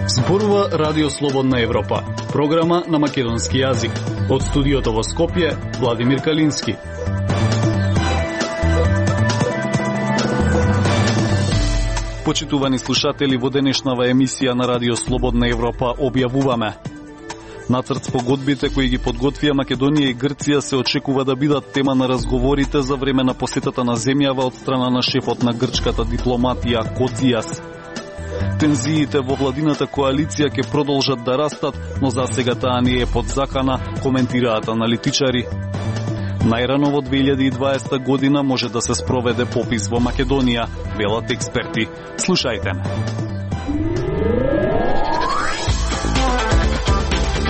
Зборува Радио Слободна Европа, програма на македонски јазик. Од студиото во Скопје, Владимир Калински. Почитувани слушатели, во денешнава емисија на Радио Слободна Европа објавуваме: нацрт спогодбите кои ги подготвија Македонија и Грција се очекува да бидат тема на разговорите за време на посетата на земјава од страна на шефот на грчката дипломатија Коцјас. Тензиите во владината коалиција ќе продолжат да растат, но за сега таа не е под закана, коментираат аналитичари. Најрано во 2020 година може да се спроведе попис во Македонија, велат експерти. Слушајте ме.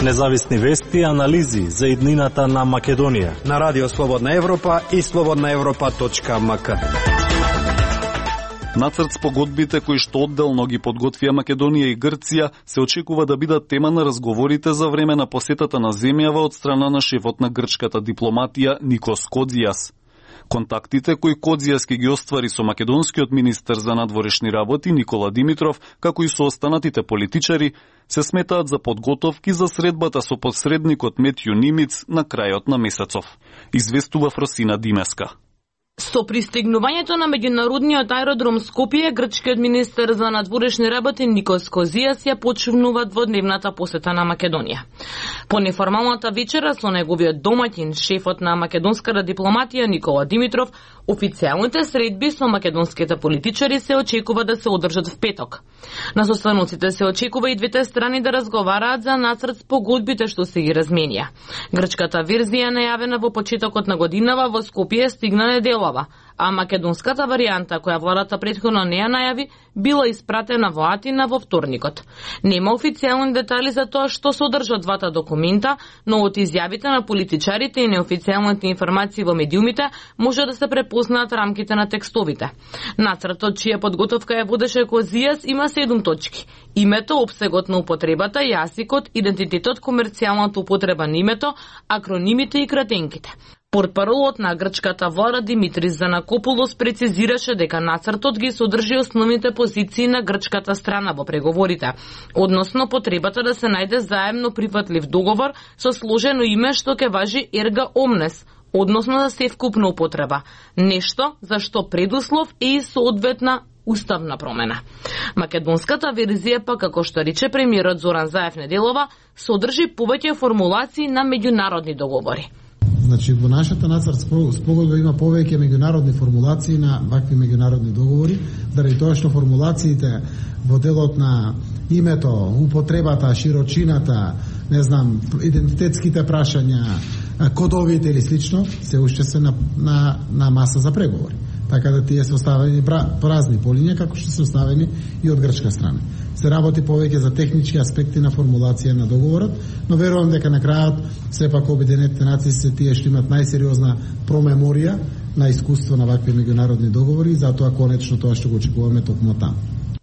Независни вести и анализи за иднината на Македонија на Радио Слободна Европа и slobodnaevropa.mk. Нацрт спогодбите кои што одделно ги подготвија Македонија и Грција се очекува да бидат тема на разговорите за време на посетата на земјава од страна на шефот на грчката дипломатија Никос Коцјас. Контактите кои Коцјас ги оствари со македонскиот министер за надворешни работи Никола Димитров, како и со останатите политичари, се сметаат за подготовки за средбата со посредникот Метју Нимиц на крајот на месецов. Известува Фросина Димеска. Со пристигнувањето на меѓународниот аеродром Скопје, грчкиот министер за надворешни работи Никос Коцјас ја почнува дводневната посета на Македонија. По неформалната вечера со неговиот домаќин, шефот на македонската дипломатија Никола Димитров, официјалните средби со македонските политичари се очекува да се одржат в петок. На состаноците се очекува и двете страни да разговараат за нацрт спогодбите што се ги разменија. Грчката верзија најавена во почетокот на годинава во Скопје стигна неделава, а македонската варијанта, која владата претходно не ја најави, била испратена во Атина во вторникот. Нема официјални детали за тоа што содржат двата документа, но од изјавите на политичарите и неофицијалните информации во медиумите може да се препознаат рамките на текстовите. Нацртот, чија подготовка ја водеше Коцјас, има 7 точки: името, опсегот на употребата, јазикот, идентитетот, комерцијалната употреба на името, акронимите и кратенките. Портпаролот на грчката влада Димитрис Занакопулос прецизираше дека нацртот ги содржи основните позиции на грчката страна во преговорите, односно потребата да се најде заемно прифатлив договор со сложено име што ќе важи ерга омнес, односно за севкупна употреба, нешто за што предуслов е и соодветна уставна промена. Македонската верзија, па како што рече премиерот Зоран Заев неделова, содржи повеќе формулации на меѓународни договори. Значи, во нашата нацрт спогодба има повеќе меѓународни формулации на вакви меѓународни договори, заради тоа што формулациите во делот на името, употребата, широчината, не знам, идентитетските прашања, кодовите или слично, се уште се на маса за преговори. Така да тие се оставени празни полиња, како што се оставени и од грчка страна. Се работи повеќе за технички аспекти на формулација на договорот, но верувам дека на крајот сепак Обединетите нации се тие што имат најсериозна промеморија на искуство на вакви меѓународни договори, затоа конечно тоа што го очекуваме токму таму.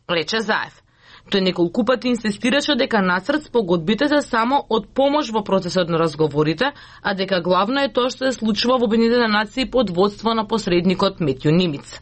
Рече Заев. Тој неколку пати инсистираше дека нацрт спогодбите се само од помош во процесот на разговорите, а дека главно е тоа што се случува во Обединетите нации под водство на посредникот Метју Нимиц.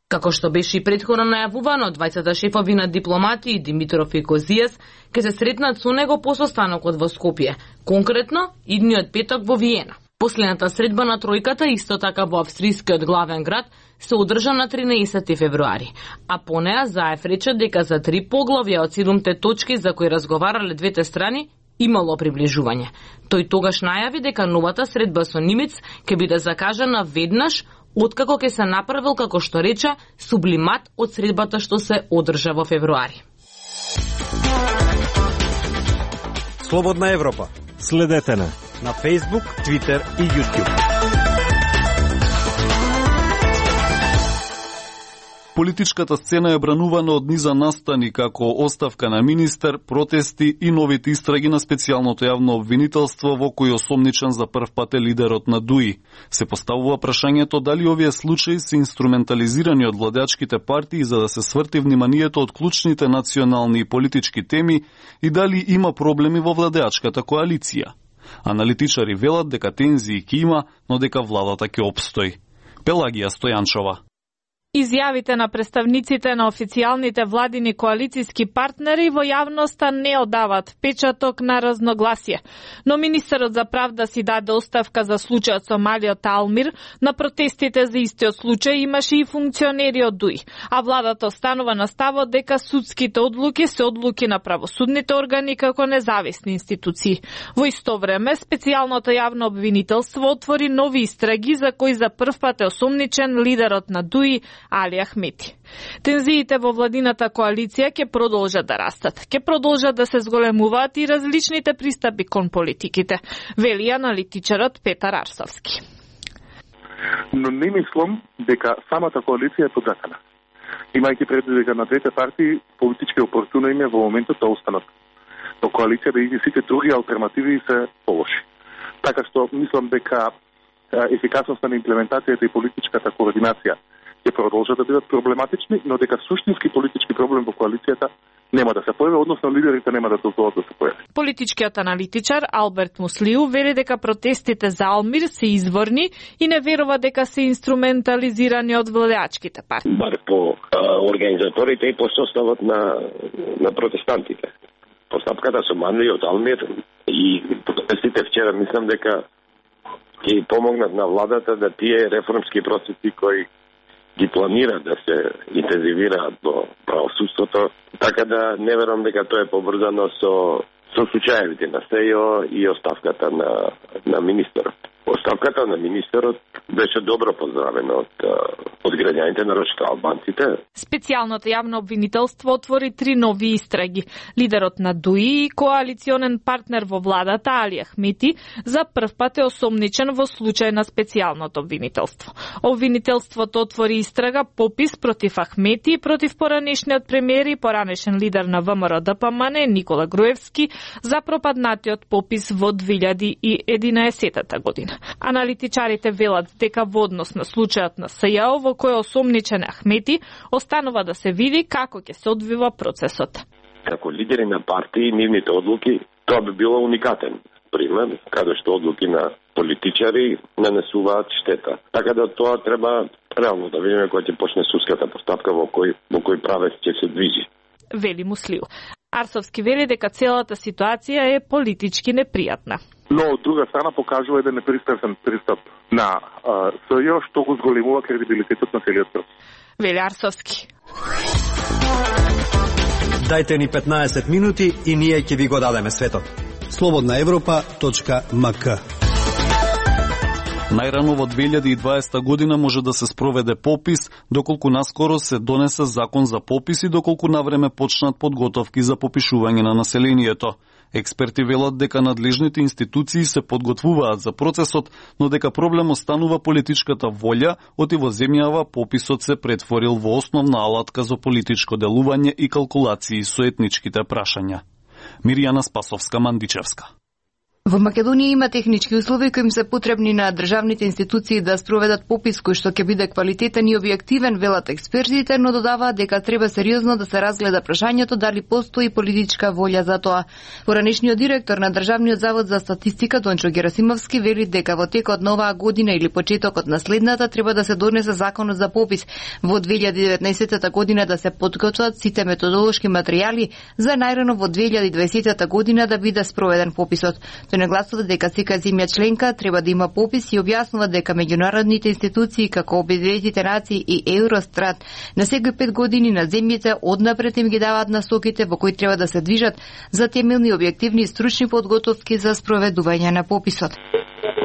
Како што беше и претходно најавувано, двајцата шефови на дипломатии Димитров и Коцјас ќе се сретнат со него по состанокот во Скопје, конкретно идниот петок во Виена. Последната средба на тројката, исто така во австрискиот главен град, се одржа на 13 февруари, а по неа Заев рече дека за 3 поглавја од 7 точки за кои разговарале двете страни имало приближување. Тој тогаш најави дека новата средба со Нимиц ќе биде закажана веднаш откако ќе се направил, како што рече, сублимат од средбата што се одржа во февруари. Слободна Европа. Следете на Facebook, Twitter и YouTube. Политичката сцена е бранувана од низа настани како оставка на министер, протести и новите истраги на специјалното јавно обвинителство во кој осомничен за прв пат е лидерот на ДУИ. Се поставува прашањето дали овие случаи се инструментализирани од владеачките партии за да се сврти вниманието од клучните национални и политички теми и дали има проблеми во владеачката коалиција. Аналитичари велат дека тензии ќе има, но дека владата ќе опстои. Пелагија Стојанчова. Изјавите на представниците на официјалните владини коалициски партнери во јавноста не одават печаток на разногласие, но министерот за правда си даде оставка за случајот со малиот Алмир. На протестите за истиот случај имаше и функционери од ДУИ, а владата останува на ставот дека судските одлуки се одлуки на правосудните органи како независни институции. Во исто време, специјалното јавно обвинителство отвори нови истраги за кои за прв пат е осомничен лидерот на ДУИ Али Ахмети. Тензиите во владината коалиција ќе продолжат да растат. Ќе продолжат да се зголемуваат и различните пристапи кон политиките, вели аналитичарот Петар Арсовски. Но не мислам дека самата коалиција е подгатана. Имајќи предвид дека на двете партии политички опортуно им е во моментот да останат. Но коалиција да сите други алтернативи се полоши. Така што мислам дека ефикасноста на имплементацијата и политичката координација ќе продолжат да бидат проблематични, но дека суштински политички проблем во коалицијата нема да се појави, односно лидерите нема да толкова да се појави. Политичкиот аналитичар Алберт Муслиу вели дека протестите за Алмир се изворни и не верува дека се инструментализирани од владеачките партии. Бар по организаторите и по составот на протестантите. Постапката со малиот Алмир и протестите вчера мислам дека ќе помогнат на владата да тие реформски процеси кои ги планира да се интензивираат во правосудството, така да не верувам дека тоа е поврзано со случаевите на СЕО и оставката на министерот. Оставката на министерот беше добро поздравена од граѓаните, нарочито албанците. Специјалното јавно обвинителство отвори 3 нови истраги. Лидерот на ДУИ и коалиционен партнер во владата Али Ахмети за прв пат е осомничен во случај на специјалното обвинителство. Обвинителството отвори истрага попис против Ахмети и против поранешниот премиер и поранешен лидер на ВМРО-ДПМН Никола Груевски за пропаднатиот попис во 2011 година. Аналитичарите велат дека во однос на случајот на СЈО во кој осомничен Ахмети останува да се види како ќе се одвива процесот. Како лидери на партии, нивните одлуки, тоа би било уникатен пример, каде што одлуки на политичари нанесуваат штета. Така да тоа треба реално да видиме кога ќе почне судската постапка во кој правец ќе се движи. Вели Муслиу. Арсовски вели дека целата ситуација е политички непријатна. Но од друга страна покажува еден непристрасен пристап на СЈО, што го зголемува кредибилитетот на целиот процес. Вели Арсовски. Дајте ни 15 минути и ние ќе ви го дадеме светот. slobodnaevropa.mk. Најрано во 2020 година може да се спроведе попис, доколку наскоро се донесе закон за попис и доколку навреме почнат подготовки за попишување на населението. Експерти велат дека надлежните институции се подготвуваат за процесот, но дека проблем останува политичката волја, оти во земјава пописот се претворил во основна алатка за политичко делување и калкулации со етничките прашања. Мирјана Спасовска-Мандичевска. Во Македонија има технички услови кои им се потребни на државните институции да спроведат попис кој што ќе биде квалитетен и објективен, велат експертите, но додаваат дека треба сериозно да се разгледа прашањето дали постои политичка волја за тоа. Поранешниот директор на Државниот завод за статистика Дончо Герасимовски вели дека во текот на оваа година или почетокот на следната треба да се донесе законот за попис, во 2019 година да се подготват сите методолошки материјали за најрано во 2020 година да биде спроведен пописот. Тој нагласува дека секоја земја членка треба да има попис и објаснува дека меѓународните институции како Обединетите нации и Евростат на секои 5 години на земјите однапред им ги даваат насоките во кои треба да се движат за темелни, објективни и стручни подготовки за спроведување на пописот.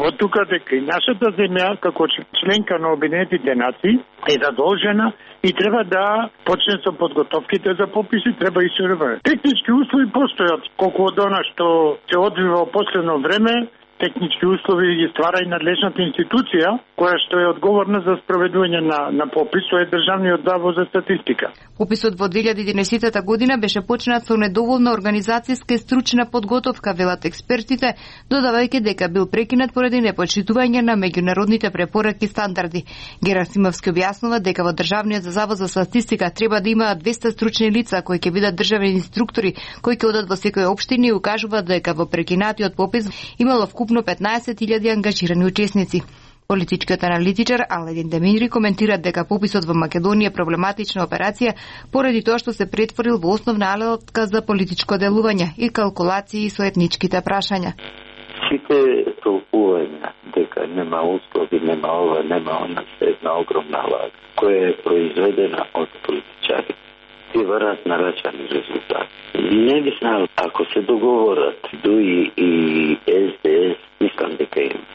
Од тука дека и нашата земја како членка на Обединетите нации е задолжена и треба да почне со подготовките за пописи, треба и се реве. Технички услови постојат, колку од она што се одвива во последно време, технички услови ги ствара и надлежната институција, која што е одговорна за спроведување на попис, тоа е Државниот завод за статистика. Пописот во 2011 година беше почнат со недоволна организацијска и стручна подготовка, велат експертите, додавајќи дека бил прекинат поради непочитување на меѓународните препораки и стандарди. Герасимовски објаснува дека во Државниот завод за статистика треба да има 200 стручни лица кои ќе бидат државни инструктори, кои ќе одат во секоја општина и укажуваат дека во прекинатиот попис имало вкупно 15.000 ангажирани учесници. Политичкиот аналитичар Аладин Демири коментира дека пописот во Македонија е проблематична операција поради тоа што се претворил во основна алатка за политичко делување и калкулации со етничките прашања. Сите толкувања дека нема услови, нема ова, нема она, се една огромна лага, која е произведена од политичари. Ти врат на рачани резултати. Не би знал, ако се договорат ДУИ и СДС, мислам дека има.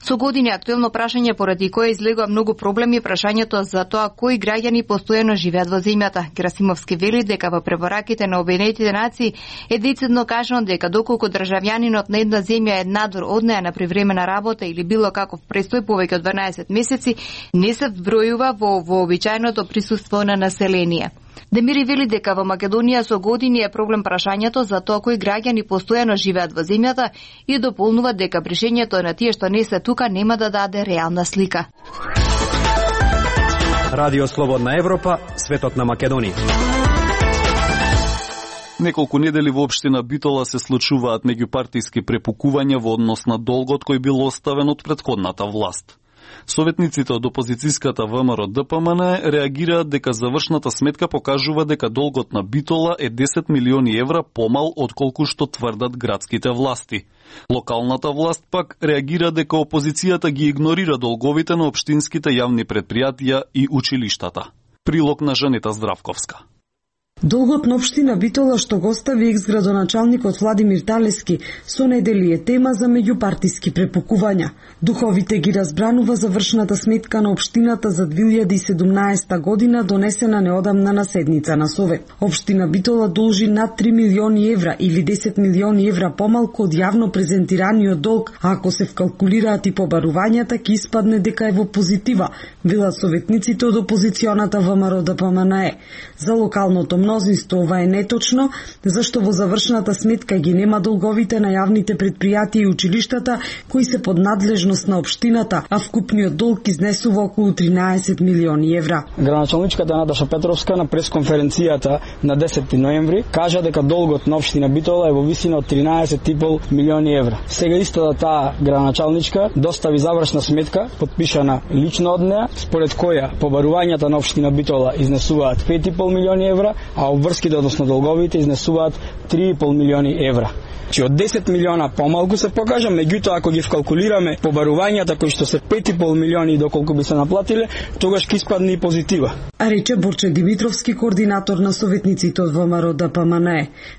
Со години актуелно прашање поради кое излегува многу проблеми прашањето за тоа кои граѓани постојано живеат во земјата. Герасимовски вели дека во препораките на Обединетите нации е децидно кажано дека доколку државјанинот на една земја е надвор од неа на привремена работа или било каков престој повеќе од 12 месеци, не се вбројува во вообичаеното присуство на население. Демири вели дека во Македонија со години е проблем прашањето за тоа кои граѓани постојано живеат во земјата и дополнува дека пришењето на тие што не се тука нема да даде реална слика. Радио Слободна Европа, светот на Македонија. Неколку недели во општина Битола се случуваат меѓупартиски препукувања во однос на долгот кој бил оставен од претходната власт. Советниците од опозицијската ВМРО ДПМН реагираат дека завршната сметка покажува дека долгот на Битола е 10 милиони евра помал отколку што тврдат градските власти. Локалната власт пак реагира дека опозицијата ги игнорира долговите на општинските јавни претпријатија и училиштата. Прилог на Жанета Здравковска. Долгот на општина Битола што го остави екс-градоначалникот Владимир Талевски со недели е тема за меѓупартиски препукувања. Духовите ги разбранува завршната сметка на општината за 2017 година донесена неодамна на седница на Совет. Општина Битола должи над 3 милиони евра или 10 милиони евра помалку од јавно презентираниот долг, а ако се вкалкулираат и побарувањата ќе испадне дека е во позитива, велат советниците од опозиционата ВМРО ДПМН. За локалното мнозинство ова е неточно, зашто во завршната сметка ги нема долговите на јавните претпријатија и училиштата кои се под надлежност на општината, а вкупниот долг изнесува околу 13 милиони евра. Градоначалничката Наташа Петровска на пресконференцијата на 10 ноември кажа дека долгот на општина Битола е во висина од 13,5 милиони евра. Сега истата таа градоначалничка достави завршна сметка подпишана лично од неа, според која побарувањата на општина Битола изнесуваат 5,5 милиони евра, а обврските, односно долговите, изнесуваат 3,5 милиони евра. Че од 10 милиона помалку се покажа, меѓутоа ако ги вкалкулираме побарувањата кои што се 5,5 милиони доколку би се наплатиле, тогаш ќе испадне и позитива. А рече Борче Димитровски, координатор на советниците од ВМРО ДПМН.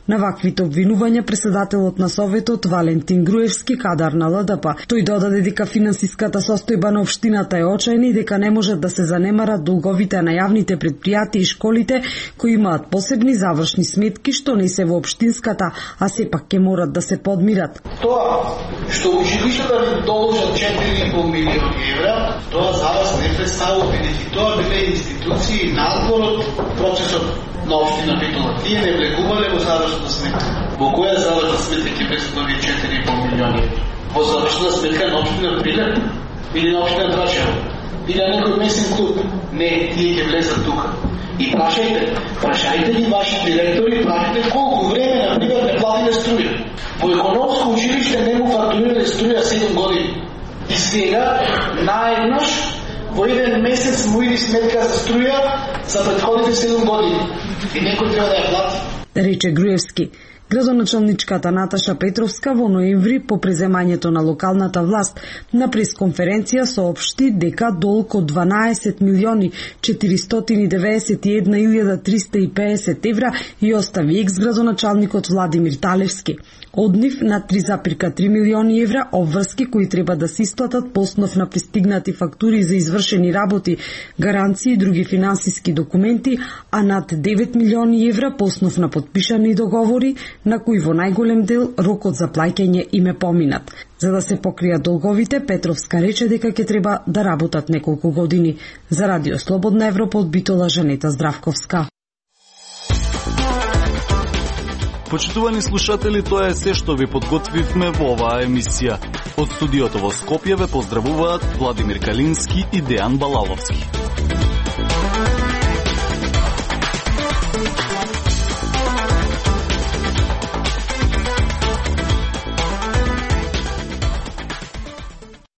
На ваквите обвинувања председателот на советот Валентин Груевски, кадар на ЛДП, тој додаде дека финансиската состојба на општината е очајна и дека не можат да се занемарат долговите на јавните претпријатија и школите кои имаат посебни завршни сметки што не се во општинската, а сепак ќе морат да се подмират. Тоа што училиштата ви должат 4,5 милиони евра, тоа за вас не представува бенефит. Тоа биле институции надвор од процесот на општина Битола. Тие не влегувале во завршната сметка. Во која завршна сметка ќе влезат овие 4,5 милиони евра? Во завршната сметка на општина Прилеп или на општина Драчево или на некој месен клуб? Не, тие ќе влезат тука. И прашајте ли ваши директори, прашајте колку време, например, не платиле струја. Во економско училиште не му фактурирале струја 7 години. И сега, наеднаш, во еден месец му иди сметка за струја за претходните 7 години. И некој треба да ја плати. Рече Груевски. Градоначалничката Наташа Петровска во ноември по преземањето на локалната власт на пресконференција соопшти дека долг од 12 милиони 491.350 евра и остави екс-градоначалникот Владимир Талевски. Од нив на 3,3 милиони евра обврски кои треба да се исплатат по основ на пристигнати фактури за извршени работи, гаранции и други финансиски документи, а над 9 милиони евра по основ на подпишани договори на кои во најголем дел рокот за плаќање им е поминат. За да се покријат долговите, Петровска рече дека ќе треба да работат неколку години. За Радио Слободна Европа од Битола, Жанета Здравковска. Почитувани слушатели, тоа е се што ви подготвивме во оваа емисија. Од студиото во Скопје ве поздравуваат Владимир Калински и Дејан Балаловски.